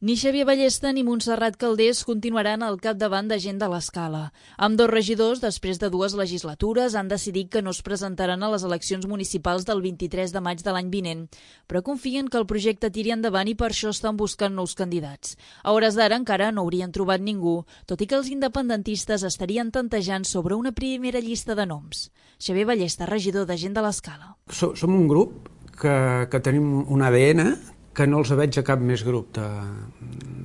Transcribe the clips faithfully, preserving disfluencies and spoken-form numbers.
Ni Xavier Ballesta ni Montserrat Calders continuaran al capdavant de Gent de l'Escala. Ambdós regidors, després de dues legislatures, han decidit que no es presentaran a les eleccions municipals del vint-i-tres de maig de l'any vinent, però confien que el projecte tiri endavant i per això estan buscant nous candidats. A hores d'ara encara no haurien trobat ningú, tot i que els independentistes estarien tantejant sobre una primera llista de noms. Xavier Ballesta, regidor de Gent de l'Escala. Som un grup que, que tenim un A D N que no els veig a cap més grup de,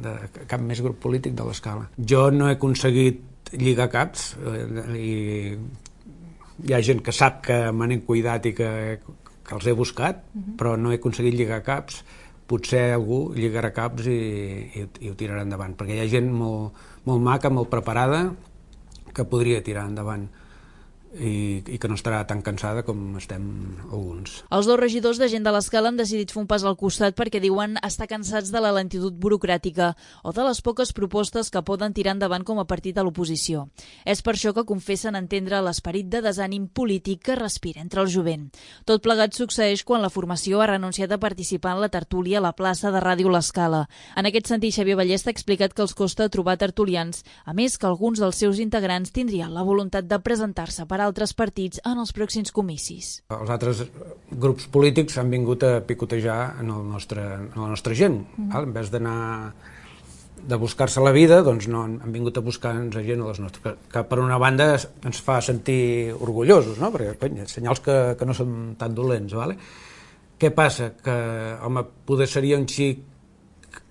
de cap més grup polític de l'Escala. Jo no he aconseguit lligar caps eh, i hi ha gent que sap que me n'he cuidat i que, que els he buscat, uh-huh. però no he aconseguit lligar caps. Potser algú lligarà caps i, i, i ho tirarà endavant, perquè hi ha gent molt, molt maca, molt preparada, que podria tirar endavant. I, i que no estarà tan cansada com estem alguns. Els dos regidors de Gent de l'Escala han decidit fer un pas al costat perquè diuen estar cansats de la lentitud burocràtica o de les poques propostes que poden tirar endavant com a partit de l'oposició. És per això que confessen entendre l'esperit de desànim polític que respira entre el jovent. Tot plegat succeeix quan la formació ha renunciat a participar en la tertúlia a la plaça de Ràdio l'Escala. En aquest sentit, Xavier Ballesta ha explicat que els costa trobar tertulians, a més que alguns dels seus integrants tindrien la voluntat de presentar-se per altres partits en els pròxims comicis. Els altres grups polítics han vingut a picotejar en, el nostre, en la nostra gent. Mm. En vez d'anar de buscar-se la vida, doncs no, han vingut a buscar-nos a gent a les nostres, que, que per una banda ens fa sentir orgullosos, no? Perquè cony, senyals que, que no són tan dolents. Vale? Què passa? Que home, poder seria un xic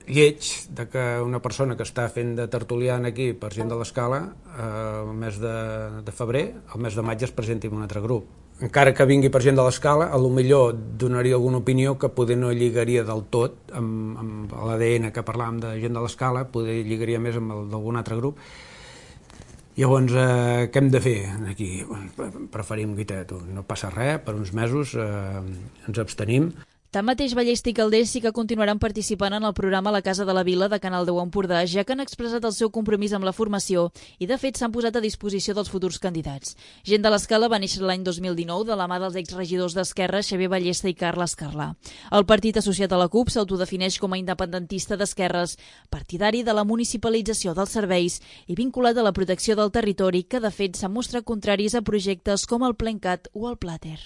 lleig de que una persona que està fent de tertulian aquí per Gent de l'Escala eh, el mes de, de febrer, el mes de maig es presenti en un altre grup. Encara que vingui per Gent de l'Escala, a lo millor donaria alguna opinió que poder no lligaria del tot amb, amb l'A D N que parlàvem de Gent de l'Escala, poder lligaria més amb el d'algun altre grup. Llavors, eh, què hem de fer aquí? Preferim, guita, tu, no passa res, per uns mesos eh, ens abstenim. Tanmateix, Ballesta i Calders sí que continuaran participant en el programa La Casa de la Vila de Canal deu Empordà, ja que han expressat el seu compromís amb la formació i, de fet, s'han posat a disposició dels futurs candidats. Gent de l'Escala va néixer l'any dos mil dinou de la mà dels exregidors d'Esquerra Xavier Ballesta i Carles Carlà. El partit associat a la CUP s'autodefineix com a independentista d'esquerres, partidari de la municipalització dels serveis i vinculat a la protecció del territori, que, de fet, s'han mostrat contraris a projectes com el Plencat o el Plater.